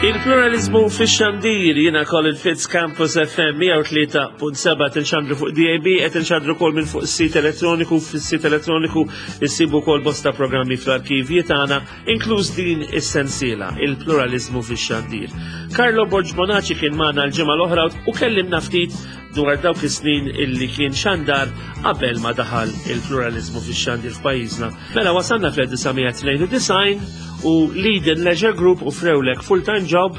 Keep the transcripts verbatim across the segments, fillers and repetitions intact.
Il-pluralizmu fix-xandir, jiena Colin Fitz, Campus F M mija u tlieta punt seba' tinxandru fuq D A B, qed inxandru kol minn fuq is-sit elettroniku. Fis-sit elettroniku issibu kol bosta programmi fl-arkivji tagħna, inkluż din is-sensiela, il-pluralizmu fix-xandir. Carlo Borg Bonaci kien magħna l-ġimgħa l-oħra u kellimna ftit dwar dawk is-snin illi kien xandar qabel ma daħal il-pluralizmu fix-xandir f'pajjiżna. Mela wasalna fl-elf disa' mija tnejn u disgħin u Leiden Leisure Group offrewlek full-time job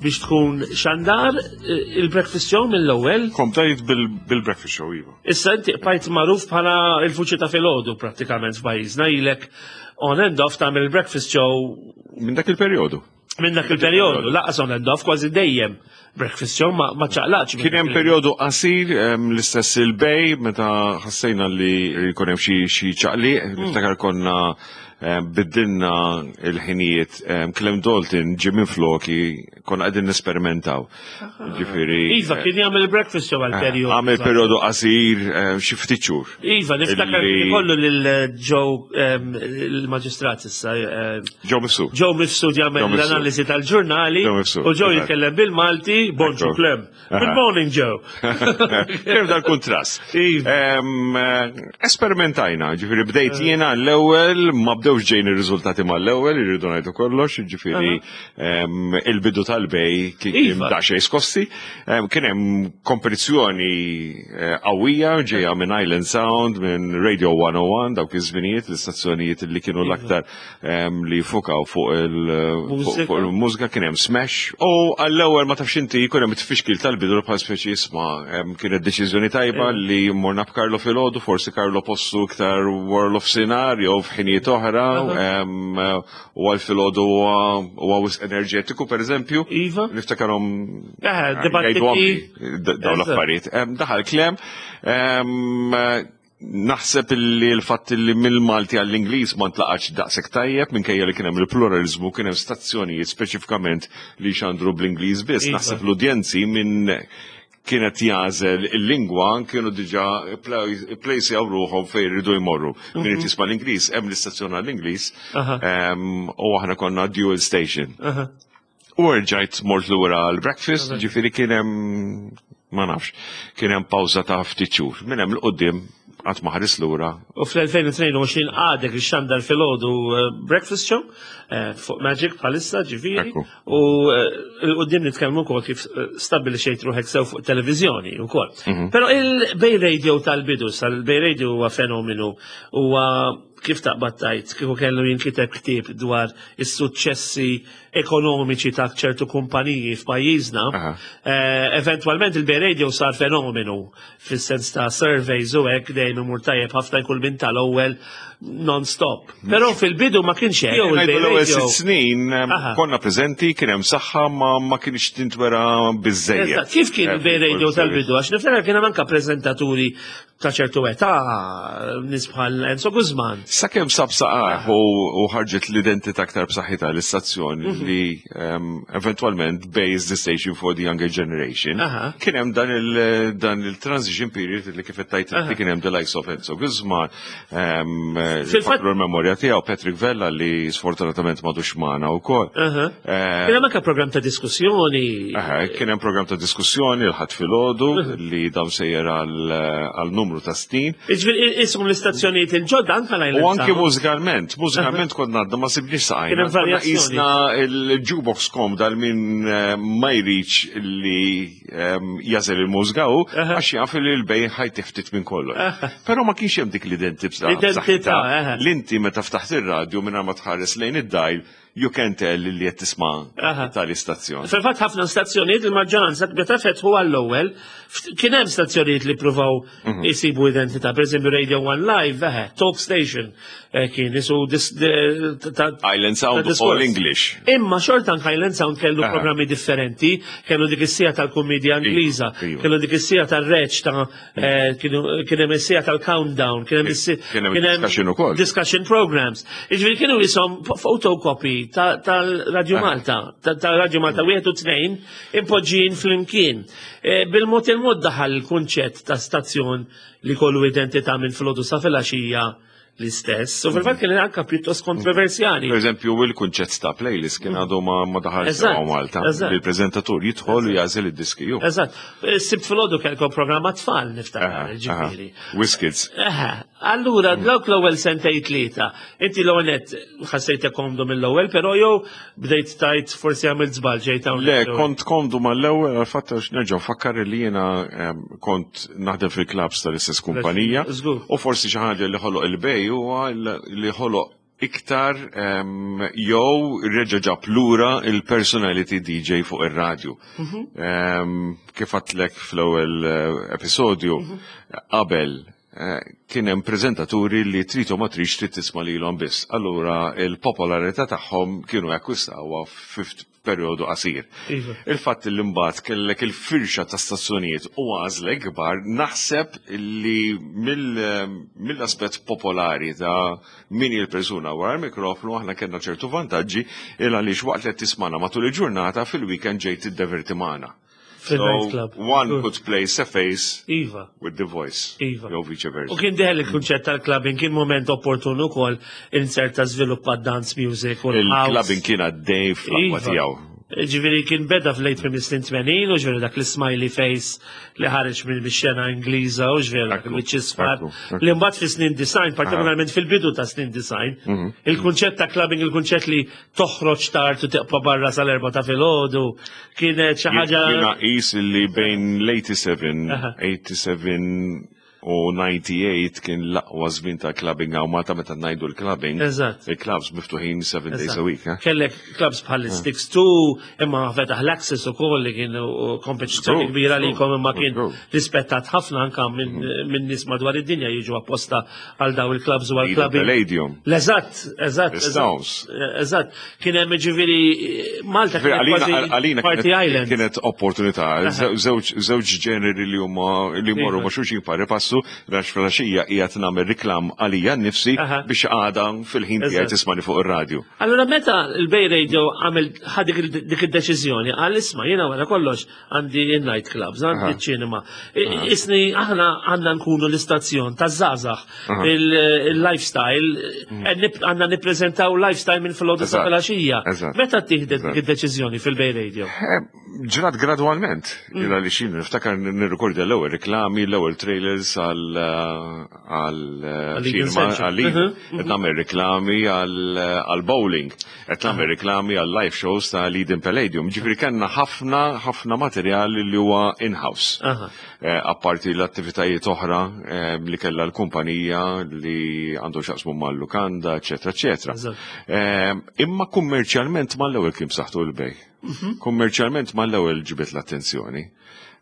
biex tkun xandar eh, il-breakfast show mill-ewwel. Komplejt bil-breakfast show, iva. Issa inti bqajt magħruf bħala il-vuċi ta' filgħodu prattikament f'pajjiżna, ilek on and off tagħmel il-breakfast show. Minn dak il-perjodu. Minn dak il-perjodu, lanqas on and off, kważi dejjem breakfast show, ma ma ċaqlaqx. Kien hemm perjodu qasir em, l-istess il-Bay meta ħassejna li jkun hemm xi xi ċaqliq, niftakar konna em, biddilna il-ħinijiet, em, Clem Dalton ġie minn floki, konna qegħdin nesperimentaw. Ġifieri Iva, kien jagħmel il-breakfast show għal perjodu. Għamel perjodu qasir, em, xi ftit xhur. Iva, niftakar Illi- kien kollu lil Joe, em, il-maġistrat issa. em, Joe Mifsud. Joe Mifsud jagħmel Joe Mifsud. l-analiżi tal-ġurnali Joe Mifsud, u Joe eżatt. jitkellem bil-Malti, "Bonġu Ekku. Clem." "Good morning, Joe." Kien dal-kontrast. Iva. Em, eh, Esperimentajna, ġifieri bdejt jiena l-ewwel, ma bdewx ġejn ir-riżultati mal-ewwel, irridu ngħidu kollox, ġifieri em, il-bidu tal-Bay kien kien Iva. daqsxejn skossi. Em, Kien hemm kompetizzjoni eh, qawwija ġejja minn Island Sound, minn Radio one oh one, dawk iż-żminijiet, l-istazzjonijiet li kienu l-aktar em, li fukaw fuq il- fuq Mużika. fuq il-mużika, kien hemm Smash. U għall-ewwel, ma tafx inti, jkun hemm tfixkil tal-bidu bħal speċi isma' em, kienet deċiżjoni tajba li morna b'Carlo filgħodu, forsi Carlo postu iktar wara nofsinhar jew f'ħinijiet oħra, em, u għal filgħodu huwa huwa wisq enerġetiku, pereżempju. Iva. Niftakarhom Eh, dibattiti. jgħidu anki dawn Eżatt. l-affarijiet. Em, Daħal Clem, em, naħseb illi l-fatt li mill-Malti għall-Ingliż ma ntlaqax daqshekk tajjeb, minkejja li kien hemm il-pluralizmu, kien hemm stazzjonijiet speċifikament li xandru bl-Ingliż biss. Iva. Naħseb l-udjenzi minn kienet jagħżel il-lingwa kienu diġà plejsjaw ruħhom fejn jridu jmorru. Min irid jisma' l-Ingliż, hemm l-istazzjon għall-Ingliż, Aha. em, u aħna konna dual station. Aha. U rġajt mort lura għal-breakfast, ġifieri kien hemm, ma nafx, kien hemm pawża ta' ftit xhur. Minn hemm 'l quddiem qatt ma ħares lura. U fl-elfejn u tnejn u għoxrin għadek ixxandar filgħodu eh, breakfast show eh, fuq Magic bħalissa, ġifieri. Ekku. U eh, 'l quddiem nitkellmu wkoll kif eh, stabbilixxejt ruħek sew fuq televiżjoni wkoll. Però il-Bay Radio tal-bidu, sal-Bay Radio huwa fenomenu, huwa kif taqbad tajt, kieku kellu jinkiteb ktieb dwar is-suċċessi ekonomiċi ta' ċertu kumpaniji f'pajjiżna, Aha. eh, eventualment il-Bay Radio sar fenomenu fis-sens ta' surveys u hekk, dejjem imur tajjeb ħafna, jkun minn tal-ewwel non-stop. Però fil-bidu ma kienx hekk. Jew Ngħidu il-Bay l-ewwel Radio. sitt snin em, Aha. konna preżenti, kien hemm saħħa, ma ma kienx tintwera biżejjed. Eżatt, kif kien il-Bay Radio tal-bidu? Għax niftakar kien hemm anke preżentaturi ta' ċertu età, nies bħal Enzo Guzman. Sakemm sab saqaħ u u ħarġet l-identità aktar b'saħħitha l-istazzjoni Mhm. li um, eventualment based the station for the younger generation. Aha. Kien hemm dan il dan il-transition period li kif qed tajt Aha. inti, kien hemm the likes of Enzo Guzman, um, Fil-fatt- l-memorja tiegħu Patrick Vella li sfortunatament m'għadux magħna wkoll. Aha. Eh, Kien hemm anke program ta' diskussjoni. Aha, kien hemm program ta' diskussjoni l-Ħadd filgħodu li dam sejjer għal għal numru ta' snin. Iġifieri ismu l-istazzjonijiet il-ġodda anke l U anke Sound. mużikalment, mużikalment konna għadna ma sibniex Kien saqajna. hemm Konna varjazzjoni. qisna il-jukebox kom dal min eh, ma jridx li ehm, jagħżel il-mużika u Aha. għax jaf li l-Bay ħa jtih ftit minn kollox. Però ma kienx hemm dik l-identità. L-identità, aha. L-inti meta ftaħt ir-radju minn ma tħares lejn id-dial, you can tell li qed tisma' Aha. tal-istazzjon. Fil-fatt ħafna stazzjonijiet, il-maġġoranza meta fetħu għall-ewwel, ft- kien hemm stazzjonijiet li pruvaw isibu identità, per eżempju Radio One Live, eħe, Talk Station, eh, kien isu dis- de- ta' Island Sound ta' diskors. all English. Imma xorta anke Island Sound kellu Aha. programmi differenti, kellu dik is-siegħa tal-kumedja Ingliża, iva. kellu dik is-siegħa tar-reċ ta' eh, kienu kien hemm is-siegħa tal-countdown, kien hemm is- Kien hemm discussion ukoll. Discussion programs. Jiġifieri kienu jisom photocopy ta- tal-Radio Ah. Malta, ta- tal-Radio Malta wieħed u tnejn impoġġin flimkien. Eh, Bil-mod il-mod daħal il-kunċett ta' stazzjon li kollu identità minn filgħodu sa filgħaxija l-istess. U fil-fatt kien anka pjuttost kontroversjali. Per eżempju, il-kunċett ta' playlist kien għadu ma ma daħal Eżatt, sewa Malta. eżatt. Li l-preżentatur jidħol u jagħżel id-diski ju. Eżatt. Sibt filgħodu kellkom programma tfal, niftakar, ġifieri. Whiskits. Eħe, allura dawk l-ewwel sentejn tlieta, inti l-ewwel net ħassejtek komdu mill-ewwel, però jew bdejt tajt forsi għamilt żball ġejt Le, hawnhekk. kont komdu mal-ewwel, għal-fatt għax nerġa' nfakkar li jiena em, kont naħdem fil-clubs tal-istess kumpanija. Żgur. U forsi xi ħaġa li ħoloq il-Bay huwa li ħoloq iktar em, jew reġa' ġab lura il-personality D J fuq ir-radju. Em, Kif għedtlek fl-ewwel eh, episodju, qabel eh, kien hemm preżentaturi li trid u ma tridx trid tisma' lilhom biss. Allura il-popolarità tagħhom kienu jakkwistawha f'perjodu qasir. Iva. Il-fatt li mbagħad kellek il-firxa ta' stazzjonijiet u għażla kbar, naħseb li mill- mill-aspett popolari ta' min il-persuna wara l-mikrofonu, aħna kellna ċertu vantaġġi il għaliex waqt li qed tismana matul il-ġurnata, fil-weekend ġejt tiddeverti magħna. Fil-night club. One Good. could place a face Iva. with the voice. Iva. Jew vice versa. U kien deħel il-kunċett tal-clubbing, kien moment opportun ukoll inserta żviluppa dance music u l-house. Il-clubbing kien għaddej fl-aqwa Iva. tiegħu. Ġifieri kien beda fl-late minn snin tmenin u ġifieri dak l-smiley face li ħareġ minn xena Ingliża u ġifieri dak Ekku, il-wiċċ isfar. ekku, ekku. Li mbagħad fi snin disgħin, partikolarment fil-bidu ta' snin disgħin, Mhm. il-kunċett ta' clubbing, il-kunċett li toħroġ tard u tibqa' barra sal-erbgħa ta' filgħodu, kienet xi ħaġa. Jiena qis li bejn l-eighty-seven, Aha. eighty-seven u ninety-eight kien l-aqwa żmien ta' clubbing hawn Malta, meta ngħidu l-clubbing. Eżatt. Il-clubs miftuħin seven days a week. Eh? Kellek clubs bħal Six Two, imma fetaħ l-Access u koll li kienu kompetizzjoni Żgur, kbira li żgur, kom, imma kien żgur. rispettat ħafna anka minn min nies madwar id-dinja jiġu apposta għal daw il-clubs u għal Eden clubbing. Palladium. L-eżatt, eżatt, The eżatt. Stones. Eżatt. Kien hemm ġifieri Malta kienet Għalina kważi għalina party kienet, island. kienet opportunità. Żewġ żewġ ġeneri li huma li jmorru Iva. ma' xulxin pari passu, għax filgħaxija qiegħed nagħmel reklam għalija nnifsi Aha. biex għada fil-ħin tiegħi Eżatt. tismani fuq ir-radju. Allora meta il-Bay Radio għamel ħa dik il- dik id-deċiżjoni, għal isma' jiena wara kollox għandi il-night clubs, għandi Aha. ċinema. Isni aħna għandna nkunu l-istazzjon ta' żgħażagħ, il-lifestyle, eh, nip- għandna nippreżentaw lifestyle minn filgħodu sa Eżatt. filgħaxija. Eżatt. Meta tieħdet Eżatt. dik id-deċiżjoni fil-Bay Radio? Eh, Ġrat gradwalment, Mm. illa li xin, niftakar nirrekordja l-ewwel reklami, l-ewwel trailers għal għal Għal Eden cinema, Central. għal Eden. Mhm, Qed nagħmel reklami għal għal bowling, qed nagħmel reklami għal live shows ta' Eden Palladium. Ġifieri kellna ħafna ħafna materjal li huwa in-house. Aha. Eh, Apparti l-attivitajiet oħra eh, li kellha l-kumpanija li għandu x'jaqsmu mal-lukanda, eċetera, eċetera. Eżatt. Eh, Imma kummerċjalment mal-ewwel kien b'saħħtu l-Bay. Kummerċjalment mal-ewwel ġibet l-attenzjoni.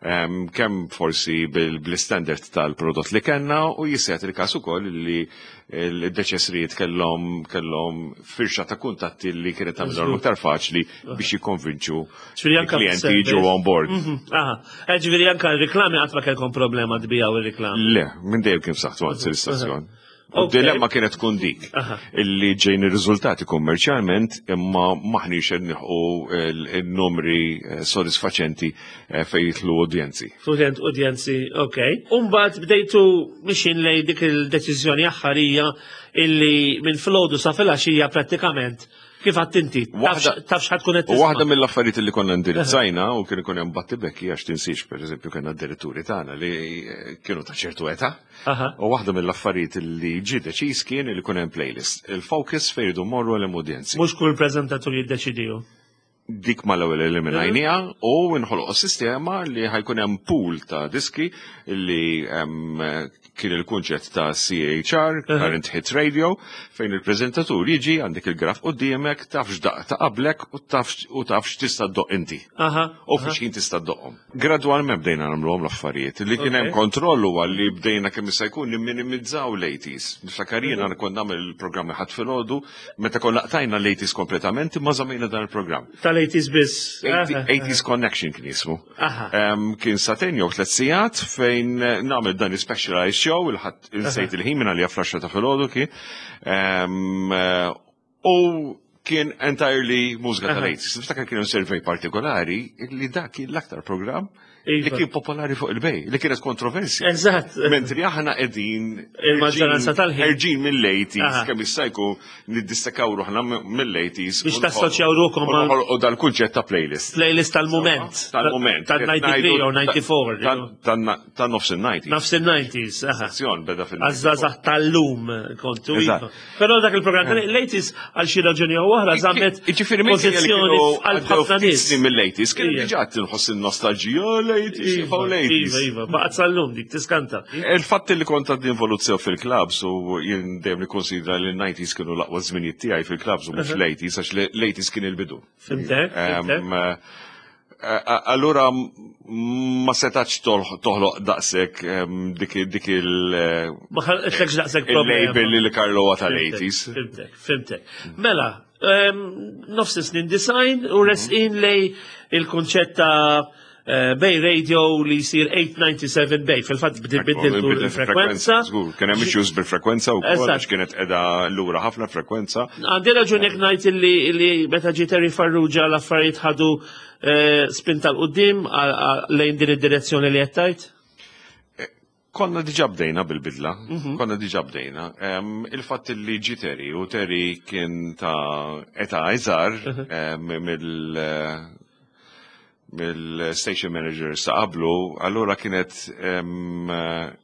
Em, Kemm forsi bil-standard tal-prodott li kellna u jisset il-każ ukoll li l-deċesrijiet kellhom kellhom firxa ta' kuntatti li kienet tagħmilhom aktar faċli biex jikkonvinċu Ġifieri anka il-klijenti fis-service. jiġu on board. Mhm, Aha. Eh, Ġifieri anka r-reklami qatt ma kellkom problema tbijaw ir-reklami. Le, minn dejjem kien b'saħħtu għand l-istazzjon. U Ok. dilemma kienet tkun dik. Aha. Illi ġejn ir-riżultati kummerċjalment imma maħniex qed nilħqu il-numri eh, sodisfaċenti eh, fejn jidħlu udjenzi. Student udjenzi, ok. Umbagħad bdejtu mixin lej dik il-deċiżjoni aħħarija illi minn filgħodu sa filgħaxija prattikament kif għedt inti, Waħda- taf x'ħa tkun qed U waħda tisma'. mill-affarijiet li konna ndirizzajna u kien ikun hemm battibekki, għax tinsiex, pereżempju, kellna d-diretturi tagħna li eh, kienu ta' ċertu età. Aha. U waħda mill-affarijiet li ġie deċiż kien li jkun hemm playlist. Il-focus fejn jridu morru l udjenzi. Mhux kull preżentatur jiddeċidiju. Dik mal-ewwel eliminajnija u nħoloq sistema li ħa jkun hemm pool ta' diski li em, kien il-kunċett ta' C H R, Current Hit Radio, fejn il-preżentatur jiġi, għandek il-graf quddiemek, taf x'daqq ta' qablek u taf u taf x'tista' ddoqq inti. Aha. U fi xħin tista' ddoqqhom. Gradwalment bdejna nagħmluhom l-affarijiet. Li kien hemm Ok. kontroll huwa li bdejna kemm jista' jkun nimminimizzaw l-eighties. Niftakar jiena kont nagħmel il-programmi Ħadd filgħodu meta konna qtajna l-eighties kompletament imma żammejna dan il-programm. Tal-eighties biss. eighty eighties Connection kien jismu. Aha. Em, Kien sagħtejn jew tliet sigħat fejn eh, nagħmel dan il-specialized show, il-Ħadd, insejt il-ħin minn għalija, fl-għaxra ta' filgħodu kien. Em, eh, U kien entirely mużika tal-eighties. Niftakar kien survey partikolari li dak kien l-aktar program Li Iva. kien popolari fuq il-Bay, li kienet kontroversja. Eżatt. Mentri aħna qegħdin Il-maġġoranza tal-ħin. ħerġin mill-eighties, Aha. kemm jista' jkun niddistakaw ruħna mill-eighties. Biex tassoċjaw ruħkom mal mal- U dal-kunċett ta' playlist. Playlist tal-moment. Tal-moment. Tal-ninety-three jew ninety-four. Ta' nofs il-nineties. Nofs il-nineties, aha. Stazzjon beda fil- Għaż-żgħażagħ tal-lum kontu. Eżatt. Iva. Però dak il-programm tal-eighties għal xi raġuni jew oħra żammet Ġifieri minn pożizzjoni għal ħafna nies. Mill-eighties, kien Ija. diġà tinħoss il-nostalġija, l-eighties, Iva, jibqgħu l-eighties. Iva, iva, baqgħet sal-lum dik tiskanta. Il-fatt li kont għad involuzzjaw fil-clubs u jien dejjem nikkonsidra li l-nineties kienu l-aqwa żminijiet tiegħi fil-clubs u mhux l-eighties, għax l-eighties kien il-bidu. Fhimtek, fhimtek. Em, eh, Allura ma setax toħloq daqshekk em, dik dik il- eh, Ma ħalqetlekx daqshekk problema. il-label li Carlo huwa tal-eighties. Fhimtek, fhimtek. Mela, em, nofs snin design u resqin lejn il-konċett ta' eh, Bay Radio li jsir eight ninety-seven Bay. Fil-fatt bdilt il-frekwenza. Żgur, kien hemm issues bil-frekwenza u Eżatt. għax kienet qiegħda lura ħafna frekwenza. Għandi raġun jekk ngħid illi illi meta ġie Terry Farrugia l-affarijiet ħadu eh, spinta 'l quddiem lejn din id-direzzjoni li qed tgħid? Konna diġà bdejna bil-bidla, Mhm. konna diġà bdejna. Em, Il-fatt li ġi Terry u Terry kien ta' età iżgħar Mhm. em, mill mill-station manager sa qablu, allura kienet em,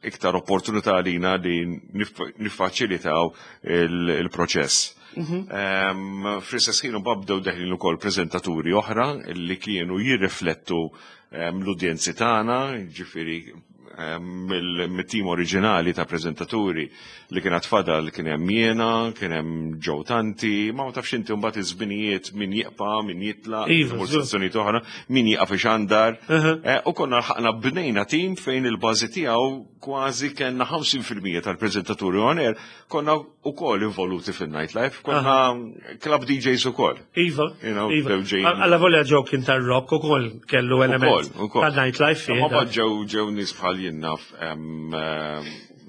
iktar opportunità għalina li nif- niffaċilitaw il- il-proċess. Em, Fl-istess ħin bdew deħlin ukoll preżentaturi oħra li kienu jirriflettu em, l-udjenzi tagħna, ġifieri em, mill- mit-tim oriġinali ta' preżentaturi li kien fadal kien hemm jiena, kien hemm Joe Tanti, ma ma tafx inti mbagħad iż-żminijiet min jibqa', min jitlaq, Iva, mur stazzjonijiet oħra, min jieqaf ixandar. Uh-huh. Eh, U konna lħaqna bnejna tim fejn il-bażi tiegħu kważi kellna ħamsin fil-mija tal-preżentaturi on air, konna ukoll involuti fil-nightlife, konna club D Js ukoll. Iva, You know, Iva. dew ġejjin. Alla volja Joe kien tar-rock ukoll kellu element Ukoll, ukoll. ta' nightlife fih. Ma dak. ġew ġew nies bħal jien naf em, em,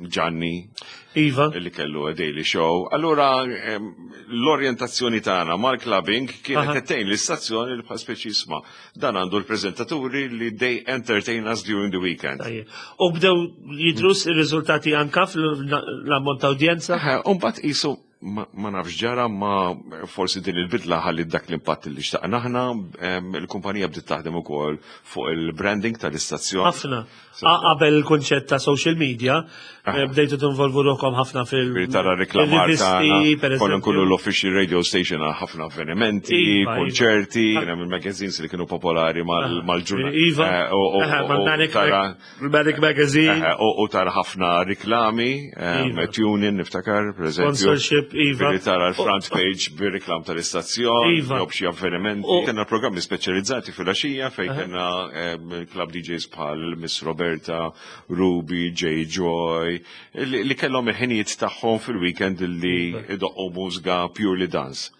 Gianni Iva, li kellu a daily show. Allura em, l-orjentazzjoni tagħna mal-clubbing kienet Aha. qed tgħin l-istazzjoni li bħal speċi isma' dan għandu l-preżentaturi li they entertain us during the weekend. Tajjeb. U bdew jidru ir-riżultati anka fl-ammont ta' udjenza? Umbagħad qisu ma ma nafx ġara, ma forsi din il-bidla ħalli dak l-impatt li xtaqna aħna, em, il-kumpanija bdiet taħdem ukoll fuq il-branding tal-istazzjon. Ħafna. A- Qabel il-konċett ta' social media, eh, bdejtu tinvolvu ruħkom ħafna fil- Ġifieri tara reklamar fil-rivisti, tagħna, per konna nkunu eżempju. l-official radio station għal ħafna avvenimenti, Iva, iva. konċerti, kien hemm il-magazines li kienu popolari mal-ġurnal. Iva, Aha, mal-Manic Manic Magazine, U tara ħafna riklami, em, Iva. tune in niftakar, per eżempju. Sponsorship, iva. Ġifieri tara l-front page bir-reklam tal-istazzjon, Iva. jew b'xi avvenimenti. U- Kellna programmi speċjalizzati fil-għaxija fejn kellna em, club D Js bħal Miss Roberta, Ruby, J Joy, li li kellhom il-ħinijiet tagħhom fil-weekend li idoqqu mużika purely dance.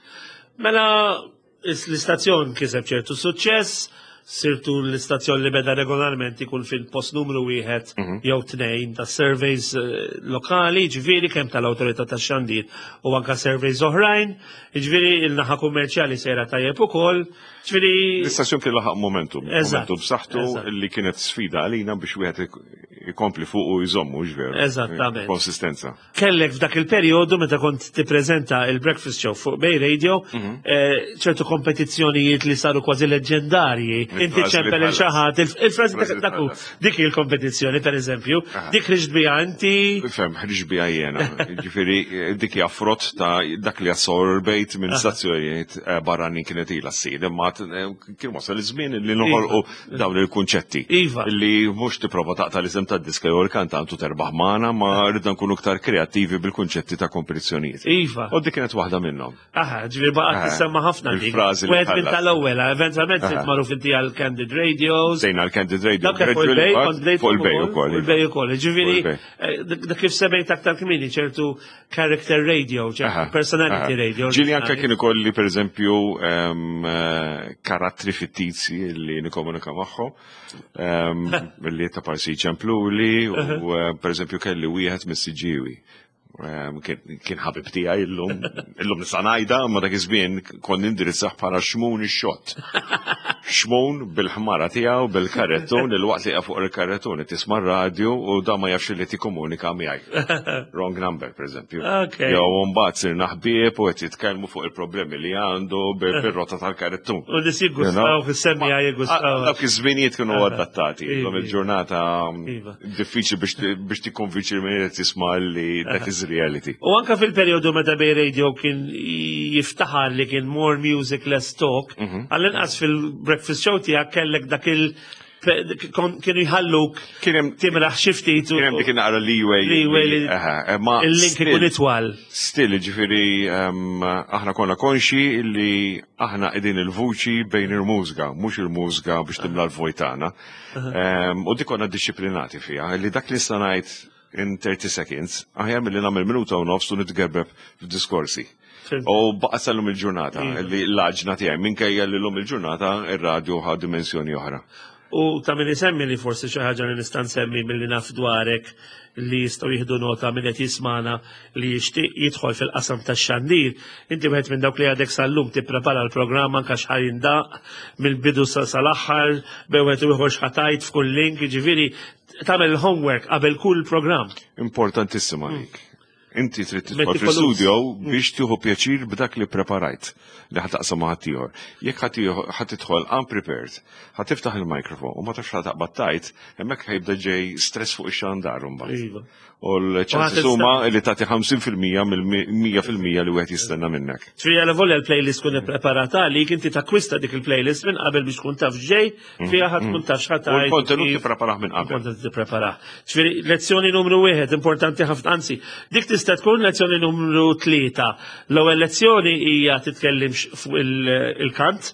Mela, is- l-istazzjon kiseb ċertu suċċess, sirtu l-istazzjon li beda regolarment ikun fil-post numru wieħed Mhm. jew tnejn ta' surveys eh, lokali, ġifieri kemm tal-awtorità tax-xandir u anka surveys oħrajn, ġifieri il-naħa kummerċjali sejra tajjeb ukoll, ġifieri L-istazzjon kien laħaq momentum, Eżatt, momentum b'saħħtu eżatt. li kienet sfida għalina biex wieħed ik- ikompli fuq u jżommu, ġveru. Eżattament. Konsistenza. Kellek f'dak il-perjodu meta kont tippreżenta il-Breakfast Show fuq Bay Radio, Mhm. eh, ċertu kompetizzjonijiet li saru kważi leġendarji. Inti Il-frażi li ċempel tħallas. il xaħat, il-frażi Il-frażi li dak hu, tħallas. dik il-kompetizzjoni per eżempju, dik ħriġt biha inti. Fem, ħriġ bija jena. Ġifieri, dik hija frott ta' dak li assorbejt minn stazzjonijiet eh, barranin kienet ilha ssir. Imma t- eh, kien wasal iż-żmien li noħolqu dawn il-kunċetti. Iva. Li mhux tipprova taqta' l-isem tad-diska jew il-kantant u terbaħ magħna, ma rridna nkunu iktar kreattivi bil-kunċetti ta' kompetizzjonijiet. Iva. U dik kienet waħda minnhom. Aha, ġifieri baqgħet Eh, tissemma ħafna dik. Il-frażi li Wieħed minn tħallas. tal-ewwel, eventwalment sirt magħruf inti għal Candid Radios. Sejna l-Candid Radio. Dak fuq il-Bay, kont bdejt Fuq il-Bay ukoll. Fuq il-Bay ukoll. Ġifieri, Fuq il-Bay. eh, dak dak kif semmejt aktar kmieni, ċertu character radio, ċertu Aha, personality aha. radio. Ġieli anka kien ikolli per eżempju em, eh, karattri fittizi li nikomunika magħhom, em, li ta' parsi ċempluli u eh, per eżempju kelli wieħed mis-Siġġiewi. Em, Kien kien ħabib tiegħi illum, illum nista' ngħidha, ma dak iż-żmien kont nindirizzah bħala Xmun ix-xott. Xmun bil-ħmara tiegħu bil-karrettun, il-waqt li fuq il-karrettun tisma' radio u da ma jafx li tikkomunika miegħi. Wrong number, per eżempju. Okay. Jew mbagħad sirna ħbieb u qed jitkellmu fuq il-problemi li għandu bir-rota tal-karrettun. U nies jiggustaw, fis-semmiegħa jiggustaw. Dawk iż-żminijiet kienu adattati. Iva. Illum il-ġurnata Iva. diffiċli biex biex tikkonvinċi min qed jisma' li that is reality. U anka fil-periodu meta Bay Radio kien jiftaħar li kien more music, less talk, Mhm. għall-inqas fil-breakfast show tiegħek kellek dak il- kon- kienu jħalluk Kien hemm timraħ xi ftit u kien hemm dik naqra leeway. Leeway li- Aha, eh, ma il-link still- ikun itwal. Still, ġifiri, um, aħna konna konxi li aħna qegħdin il-vuċi bejn il-mużika, mhux il-mużika biex timla l-vojt tagħna. Um, u dik konna disciplinati fija, li dak li nista' ngħid in thirty seconds, aħjar milli nagħmel minuta u nofs u nitgerbeb f'diskorsi. Fhimt. U baqa sal-lum il-ġurnata, Iva. li l-għaġna tiegħi minkejja li l-lum il-ġurnata ir-radio ħa dimensjoni oħra. U ta' min isemmi li forsi xi ħaġa li nista' nsemmi milli naf dwarek li jistgħu jieħdu nota minn qed jismana li jixtieq jidħol fil-qasam tax-xandir. Inti wieħed minn dawk li għadek sal-lum tipprepara l-programm anke x'ħa jindaqq mill-bidu sa sal-aħħar, bejn wieħed u ieħor x'ħa tgħid f'kull link, jiġifieri tagħmel il-homework qabel kull programm. Importantissima dik. Inti trid tidħol Meticulous. fl-studio biex tieħu pjaċir b'dak li preparajt li ħa taqsam ma' ħaddieħor. Jekk ħa tieħu- ħa tidħol unprepared, ħa tiftaħ il-mikrofon u ma tafx ħa taqbad tgħid, hemmhekk ħa jibda ġej stress fuq ix-xandar mbagħad. Iva. U l-ċansi U ħa huma li tagħti ħamsin fil-mija mill-mija fil-mija li wieħed jistenna minnek. Ġifieri għal volja l-playlist tkun ippreparata li inti takkwista dik il-playlist minn qabel biex tkun taf ġej, fiha ħa tkun taf x'ħa U tgħid. l-kontenut kif- tippreparah minn qabel. Kontenut tippreparah. Ġifieri lezzjoni numru wieħed importanti ħafna, anzi, dik tista' tkun lezzjoni numru tlieta. L-ewwel lezzjoni hija titkellimx fuq il- il-kant,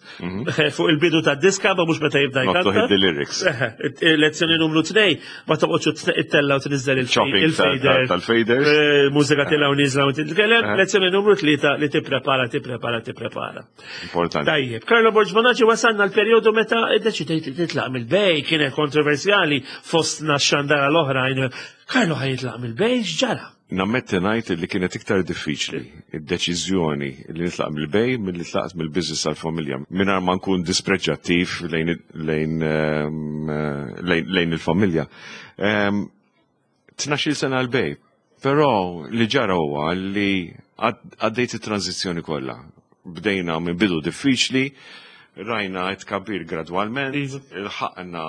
fuq il-bidu tad-diska, ma mhux meta jibda Not to jkanta. hit the lyrics. Eh, Lezzjoni numru tnejn, ma toqgħodx ittella u tniżel Chopping tal- il-fader. tal-faders. Eh, Mużika tella u niżla u titkellem. Eh. Lezzjoni numru tlieta li tipprepara, tipprepara, tipprepara. Importanti. Tajjeb, Carlo Borg Bonaci, wasalna l-periodu meta iddeċidejt li titlaq mill-Bay, kienet kontroversjali fostna x-xandara l-oħrajn. Carlo ħa jitlaq mill-Bay, x'ġara? Nammetti ngħid li kienet iktar diffiċli id-deċiżjoni li nitlaq mill-Bay milli tlaqt mill-business tal-familja. Mingħajr ma nkun dispreġġattiv lejn lejn ehm, eh, lejn lejn il-familja. Ehm, Tnax-il sena l-Bay, però li ġara huwa li għad- għaddejt it-tranzizzjoni kollha. Bdejna minn bidu diffiċli, rajna tkabbir gradwalment, Iva. ilħaqna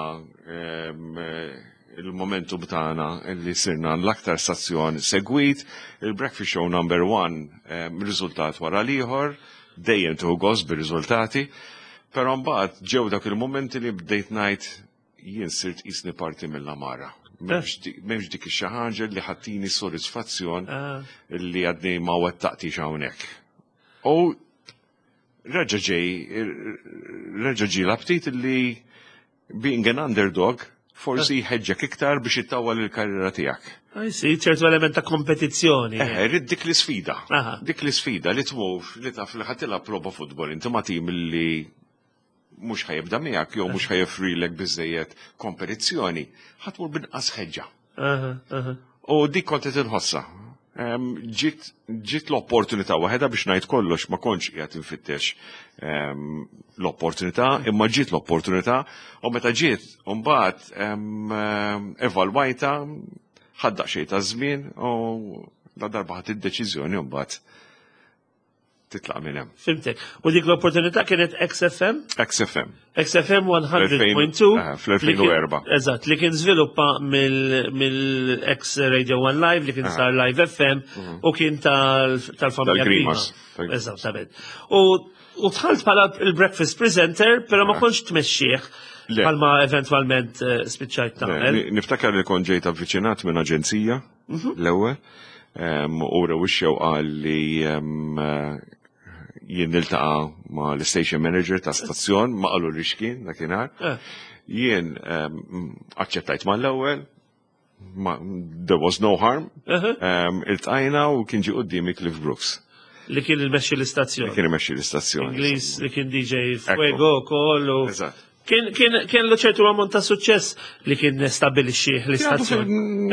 ehm, eh, il-momentum tagħna li sirna l-aktar stazzjon segwit, il-breakfast show number one, ehm, riżultat wara l-ieħor, dejjem tieħu gost bir-riżultati, però mbagħad ġew dak il-momenti li bdejt ngħid jien sirt qisni parti mill-għamara. M'hemmx di- M'hemmx dik ix-xi ħaġa li ħa ttini sodisfazzjon Ah. li għadni ma wettaqtix hawnhekk. U reġa' ġej, reġa' ġie l-aptit li being an underdog forsi jħeġġek iktar biex ittawwal il-karriera tiegħek. I see, ċertu element ta' kompetizzjoni. Eh, rrid dik l-isfida. Aha. Dik l-isfida li tmur li taf li ħa tilgħab logħba futbol inti ma' tim li mhux ħa jibda miegħek jew mhux ħa joffrilek biżejjed kompetizzjoni, ħa tmur b'inqas ħeġġa. Aha, aha. U dik kont qed inħossha. Em, Ġiet ġiet l-opportunità waħedha, biex ngħid kollox ma kontx qiegħed infittex em, l-opportunità, imma ġiet l-opportunità u meta ġiet mbagħad em, em, evalwajta, ħadt daqsxejn ta' żmien u la darba ħadt id-deċiżjoni mbagħad titlaq minn hemm. Fhimtek. U dik l-opportunità kienet X F M? X F M. X F M mija punt tnejn. Eh, fl-elfejn u erbgħa. Eżatt, li kien żviluppa mill-ex Radio one Live, li kien sar Live F M u kien tal- tal-familja Tal-Grimas. Grima. Eżattament. U u dħalt bħala il-breakfast presenter, pero ma kontx tmexxih Le. bħalma eventualment eh, spiċċajt tagħmel. Ni- Niftakar li kont ġejt avviċinat minn aġenzija l-ewwel em, u rew ix-xewqa li em, eh, jien niltaqa' ma' l-station manager ta' stazzjon, ma qalu li x'kien dakinhar. Eh. Jien em, aċċettajt mal-ewwel, ma- there was no harm. Uh-huh. Em, Iltqajna u kien ġie quddiemi Cliff Brooks, Li kien il-mexxi l-istazzjon. li kien imexxi l-istazzjoni. Ingliż li kien D J Fuego ukoll u Eżatt. Kien kien kien lu ċertu ammont ta' suċċess li kien stabilixxi l-istazzjon.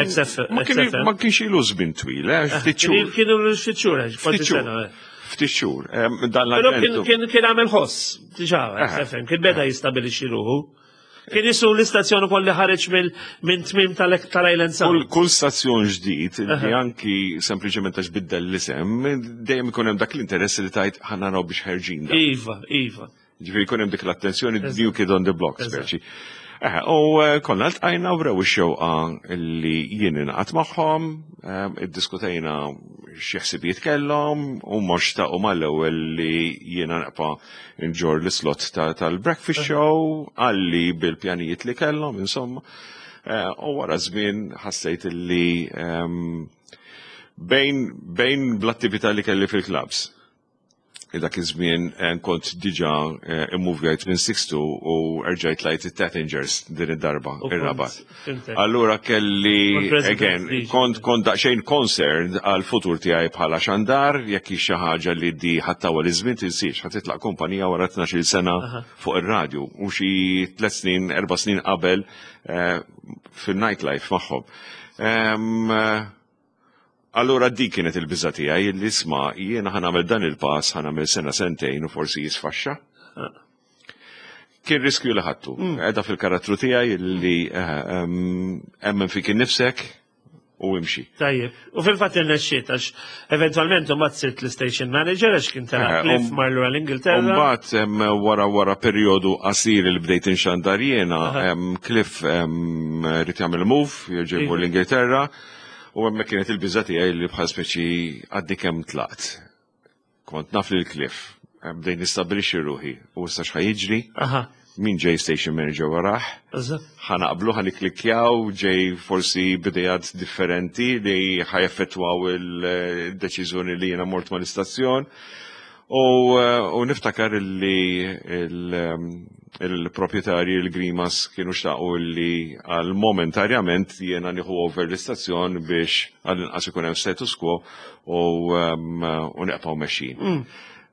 X F M. Ma kien- ma kienx ilu żmien twil, eh, ftit xhur. Kienu ftit xhur, kważi Ftit xhur. sena. eh. Ftit xhur. Em, Dan Però kien l-avventu. kien kien għamel ħoss, diġà, Aha. X F M, kien beda jistabilixxi ruħu. Kien jisu l-istazzjon ukoll li ħareġ mill minn tmim tal- tal-Island Kull, Sound. Kull stazzjon ġdid li anki sempliċement għax biddel l-isem, dejjem ikun hemm dak l-interess li tajt ħa naraw biex ħerġin da. Iva, iva. Ġifieri jkun hemm dik l-attenzjoni, Eżatt. new kid on the block, Eżatt. speċi. Eh, U eh, konna ltqajna u wrew ix-xewqa li jien ingħaqad magħhom, eh, iddiskutejna xi ħsibijiet kellhom u mhux xtaqu mal-ewwel li jiena naqpa' nġorr l-slot ta- tal-breakfast show għalli bil-pjanijiet li kellhom, insomma. Eh, U wara żmien ħassejt li ehm, bejn bejn bl-attività li kelli fil-clubs, dak iż-żmien eh, kont diġà eh, immuvjajt minn Sixtu u erġajt lejn it-Tattingers din id-darba, U kont- ir-Rabat. fhimtek. Allura kelli, Kont president again, diġà. kont kont daqsxejn concerned għal futur tiegħi bħala xandar, jekk hi xi ħaġa li di ħa ttawwal iż-żmien, tinsiex, ħa titlaq kumpanija wara tnax-il sena Aha. fuq ir-radju u xi tliet snin, erba' snin qabel eh, fil-nightlife magħhom. Em, eh, Allura dik kienet il-biża tiegħi li isma' jiena ħa nagħmel dan il-pass, ħa nagħmel sena, sentejn u forsi jisfaxxa. Kien riskju li ħadtu. Edha fil-karattru tiegħi li eh, em, emmen fik innifsek u imxi. Tajjeb. U fil-fatt irnexxiet għax eventwalment mbagħad sirt l-station manager għax kien tela' Eh, Cliff um- mar lura l-Ingilterra. Umbagħad em, wara wara perjodu qasir li bdejt inxandar jiena, em, Cliff em, ried jagħmel move, jerġa' jmur Iva. l-Ingilterra, u hemmhekk kienet il-biża tiegħi li bħal speċi għaddi kemm tlaqt. Kont naf lil Cliff, em, bdejt nistabbilixxi ruħi u issa x'ħa jiġri, Aha. min ġej station manager warah, Eżatt. ħa naqblu, ħa nikklikkjaw, ġej forsi b'idejat differenti li ħa jaffettwaw il-deċiżjoni li jiena mort mal-istazzjon. U, eh, u niftakar li il- il-proprietarji il-Grimas kienu xtaqu li għal momentarjament jiena nieħu over l-istazzjon biex għal-inqas ikun hemm status quo u, um, u nibqgħu mexjin.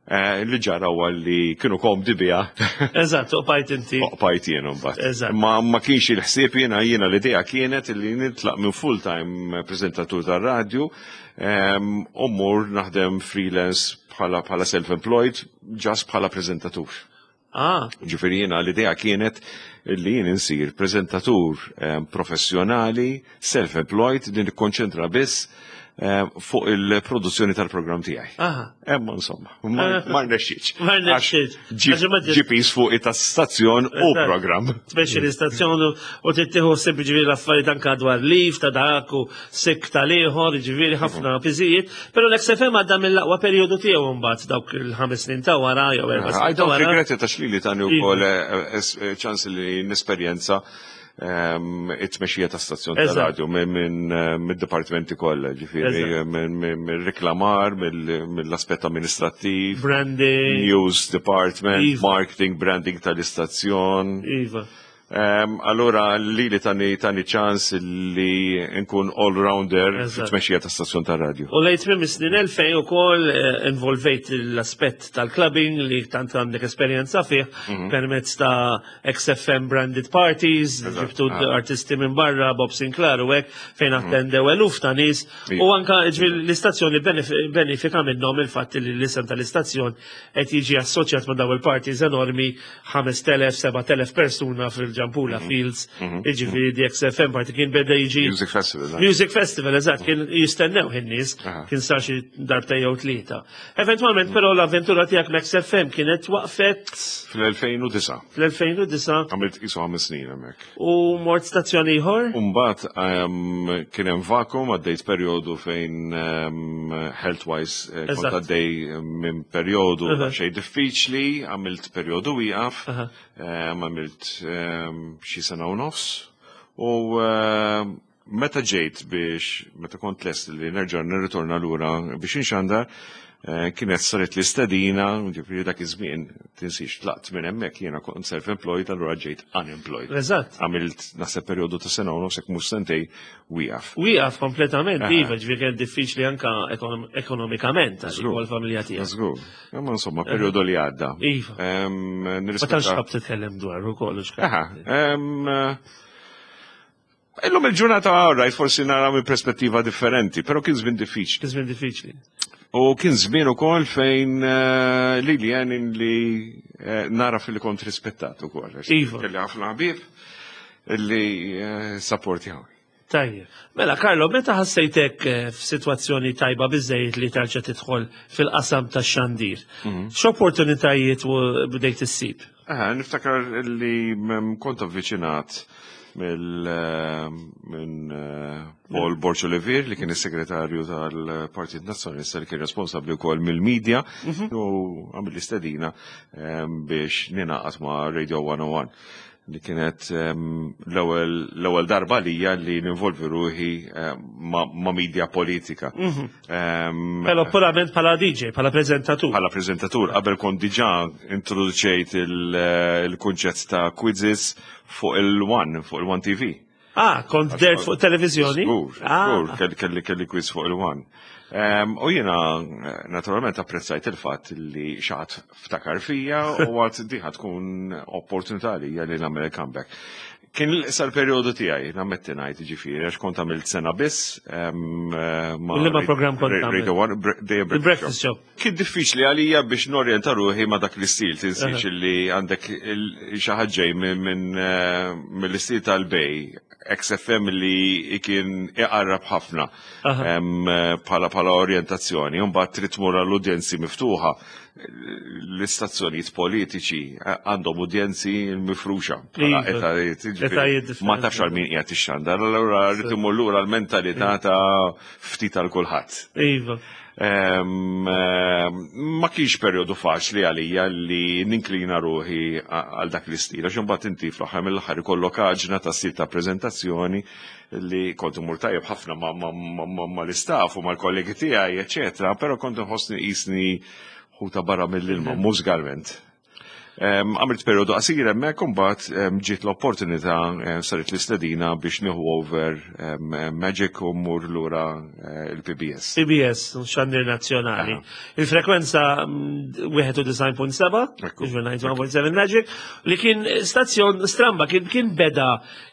Eh, Li ġara huwa li kienu komdi biha. Eżatt, u bqajt inti. Bqajt jien mbagħad. Eżatt. Ma ma kienx il-ħsieb jiena jiena l-idea kienet li nitlaq minn full-time prezentatur tar-radju em, u mmur naħdem freelance bħala bħala self-employed, just bħala prezentatur. Ah, Ġifieri jiena l-idea kienet li jien insir prezentatur em, professjonali, self-employed, li nikkonċentra biss em, fuq il-produzzjoni tal-programm tiegħi. aha. Emma insomma, ma ma rnexxietx. Ma rnexxietx. Għax Għax ma ġie piż fuq it-stazzjon u Eżatt. programm. Tmexxi l-istazzjon u u tittieħu ħsieb ġifieri l-affarijiet anke dwar leave ta' dak u sick tal-ieħor, ġifieri ħafna piżijiet, però l-X F M għadda mill-aqwa perjodu tiegħu mbagħad dawk il-ħames snin ta' wara jew erba' I snin ta' don't wara. regret it għax li li tani wkoll eh, es- eh, ċans li nesperjenza ehm, it-tmexxija ta' stazzjon ta' Eżatt. radio minn minn, eh, mid-dipartimenti kollha, ġifieri Eżatt. minn minn- mill-reklamar, mill- mill-aspett amministrattiv, Branding. news department, Iva. marketing, branding tal-istazzjon. Iva. Ehm, Allura li li tani tani ċans li nkun all-rounder Eżatt. fit-tmexxija ta' stazzjon ta' radio. U lejn tmiem is-snin elfejn ukoll eh, involvejt l-aspett tal-clubbing li tant għandek esperjenza fih Mhm. permezz ta' X F M branded parties, ġibtu Ah. artisti minn barra, Bob Sinclair u hekk, fejn attendew eluf ta' nies Iva. u anka ġifieri l-istazzjoni benef- benefika minnhom il-fatt li l-isem tal-istazzjon qed jiġi assoċjat ma' daw il-parties enormi, ħamest elef, sebat elef persuna fil-Ġampula Fields, jiġifieri the X F M party kien beda jiġi Music Festival. eh? Music Festival, eżatt, kien jistennew in-nies, Aha. kien sar xi darbta jew tlieta. Eventwalment, però l-avventura tiegħek ma' X F M kienet waqfet Fl-elfejn u disgħa. fl-elfejn u disgħa. Għamilt qisu ħames snin hemmhekk. U mort stazzjon ieħor. Umbagħad um, kien hemm vacuum, għaddejt perjodu fejn um, health-wise eh, kont Eżatt. għaddej minn perjodu Aha. xejn diffiċli, għamilt perjodu wieqaf, Aha. um, għamilt um, xi sena u nofs u um, Meta ġejt biex, meta kont lest li nerġa' nirritorna lura biex inxandar, eh, kienet saret l-istedina, ġifieri dak iż-żmien, tinsix, tlaqt minn hemmhekk, jiena kont self-employed, allura ġejt unemployed. Eżatt. Għamilt naħseb perjodu ta' sena u nofs, jekk mhux sentej, wieqaf. Wieqaf kompletament, Aha. iva, ġifieri kien diffiċli anka ekonom- ekonomikament għax Żgur. l-familja tiegħek. Żgur. Imma insomma, perjodu li għadda. Iva. Em, Ma nirrispetta- tantx ħab titkellem dwar ukoll. Aha, em, eh, Illum il-ġurnata, right, forsi nara minn perspettiva differenti, pero kien żmien diffiċli. Kien żmien diffiċli. U kien żmien ukoll fejn eh, li li għen li eh, nara fil-li kont rispettat ukoll. Għax Iva. kelli ħafna ħbieb li eh, supportjaw. Tajjeb. Mela, Carlo, meta ħassejtek eh, f'sitwazzjoni tajba biżejjed li terġa' tidħol fil-qasam tax-xandir, x'opportunitajiet u bdejt issib? Aha, niftakar li mm, kont avviċinat mill eh, minn eh, Paul Borg Olivier, li kien is-segretarju tal-Partit Nazzjonalista li kien responsabbli wkoll mill-medja, u għamil l-istedina eh, biex ninaqat ma' Radio one oh one, li kienet em, l-ewwel l-ewwel darba lija li ninvolvi ruħi eh, ma' ma' media politika. Em, Però purament bħala D J, bħala preżentatur. Bħala prezentatur, qabel kont diġà introduċejt il- il-kunċett ta' quizzes fuq il-One, fuq il-One T V. Ah, kont dert fuq televizjoni? Żgur, Ah, żgur, kelli kelli kelli quiz fuq il-One. Em, U jiena eh, naturalment apprezzajt il-fatt li xi ħadd ftakar fija u għedt din ħa tkun opportunità li li nagħmel comeback. Kien sal periodu tiegħi, nammetti ngħid, ġifieri, għax kont għamilt sena biss. em, eh, ma' U liema programm kont tagħmel? Radio One, bre- The Il-Breakfast Show. Kien diffiċli għalija biex norjenta ruħi ma' dak l-istil, tinsiex li għandek il- xi ħadd ġej minn minn, eh, mill-istil tal-Bay, X F M, li kien iqarrab ħafna Aha. em, eh, bħala bħala orjentazzjoni, mbagħad trid tmur għall-udjenzi miftuħa. L-istazzjonijiet politiċi eh, għandhom udjenzi mifruxa bħala Iva. etajiet, ġifieri, Etajiet differenti. ma tafx għal min qiegħed ixxandar, allura rrid imur lura l-mentalità ta' ftit għal kulħadd. Iva. Em, em, ma kienx perjodu faċli għalija li ninklina ruħi a- għal dak l-istil, għax imbagħad inti fl-aħħar mill-aħħar ikollok għaġna ta' stil ta' preżentazzjoni li kont imur tajjeb ħafna ma- ma- ma- ma- mal-istaff u mal-kollegi tiegħi, eċetera, però kont inħossni qisni ħuta barra mill-ilma mużikalment. Em, Għamilt periodu qasir hemmhekk, imbagħad em, ġiet l-opportunità, em, saret l-istedina biex nieħu over em, Magic u mmur lura eh, il-P B S. P B S, xandir nazzjonali. Il-frekwenza mm, wieħed u disgħin punt seba', Ekku. disgħin punt seba' Magic, li kien stazzjon stramba, kien kien beda,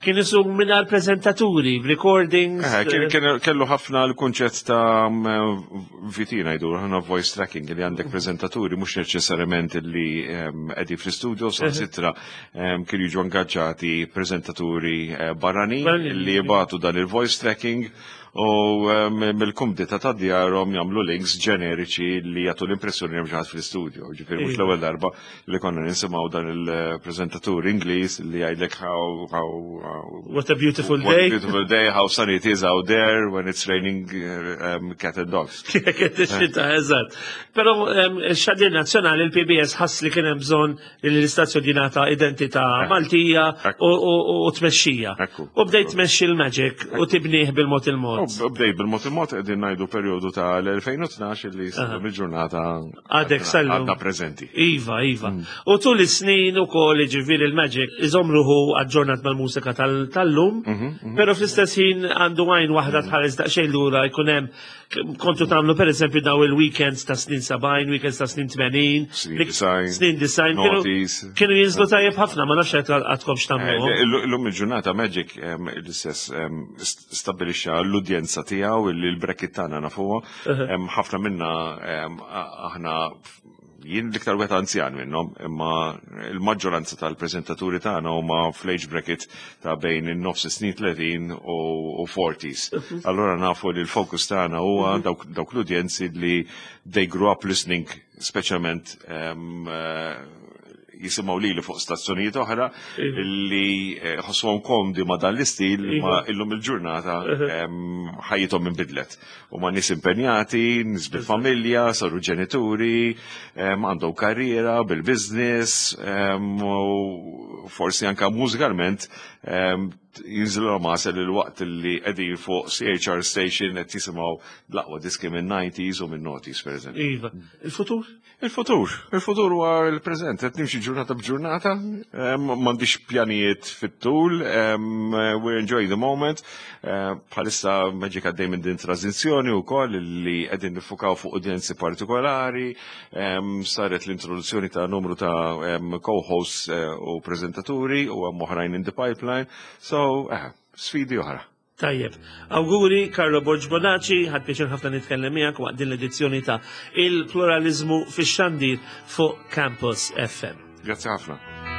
kien isu mingħajr prezentaturi, recordings. Eh, kien- kien- Kellu ħafna l-kunċett ta' mm, V T ngħidu, ħana voice tracking, li għandek prezentaturi mhux neċessarjament li em, qegħdin fl-studio, sitra kienu jiġu ingaġġati prezentaturi eh, barranin Barranin. li jibagħtu dan il-voice tracking u em, mill-kumdità ta' djarhom jagħmlu links ġeneriċi li jagħtu l-impressjoni li hemm xi ħadd fl-studio. Ġifieri mhux Iva. l-ewwel darba li konna nisimgħu dan il-preżentatur Ingliż li jgħidlek how, how, how What a beautiful What a day. beautiful day, how sunny it is out there when it's raining uh, um, cat and dogs. Kienet ix-xita, eżatt. Però em, ix-xandir nazzjonali, il-P B S, ħass li kien hemm bżonn li l-istazzjon jingħata identità Maltija Ekku. u- u u tmexxija. Ekku. U bdejt tmexxi l-Magic u tibnieh bil-mod il-mod. U bdej bil-mod il-mod, qegħdin ngħidu perjodu ta' l-elfejn u tnax li sal il-ġurnata Għadek sal-lum. għadna preżenti. Iva, iva. U tul is-snin ukoll, ġifieri, il-Magic iżomm ruħu aġġornat mal-mużika tal- tal-lum, però fl-istess ħin għandu għajn waħda tħares daqsxejn lura, jkun hemm kontu tagħmlu pereżempju daw il-weekends ta' snin sebgħin, weekends ta' snin tmenin, Snin li- disgħin, snin disgħin, kienu- noughties. kienu jinżlu tajjeb ħafna, ma nafx qed għadkom x'tagħmluhom. Eh, Illum il-ġurnata Magic em, l-istess em, st- stabbilixxa l-udjenza tiegħu li l-bracket tagħna nafuha. Em, Ħafna minna em, a- aħna, jien l-iktar wieħed anzjan minnhom, imma il-maġġoranza tal-preżentaturi tagħna huma fl-age bracket ta' bejn in-nofs snin tletin u u forties. Allora nafu li l-fokus tagħna huwa dawk dawk l-udjenzi li they grew up listening, speċjalment em, eh, jisimgħu lili fuq stazzjonijiet oħra li eh, ħossuhom komdi ma' dan l-istil, ma illum il-ġurnata em, ħajjithom inbidlet. U ma nies impenjati, nies bil-familja, saru ġenituri, em, għandhom karriera bil-business, em, u forsi anka mużikalment em, Jinżilhom għasel il-waqt li qegħdin fuq C H R Station qed jisimgħu l-aqwa diski minn nineties u minn noughties, per eżempju. Iva. Il-futur? Il-futur, il-futur huwa il-preżent, qed nimxi ġurnata b'ġurnata, em, m'għandix pjanijiet fit-tul, em, we're enjoying the moment. Eh, Bħalissa Magic għaddej minn din tranżizzjoni wkoll li qegħdin nifukaw fuq udjenzi partikolari, em, saret l-introduzzjoni ta' numru ta' em, co-hosts eh, u prezentaturi u hemm oħrajn in the pipeline, so eh, sfidi oħra. Tajjeb. Awguri, Carlo Borg Bonaci, ħadt pjaċir ħafna nitkellem miegħek waqt din l-edizzjoni ta' Il-Pluralizmu fix-Xandir fuq Campus F M. Grazzi ħafna.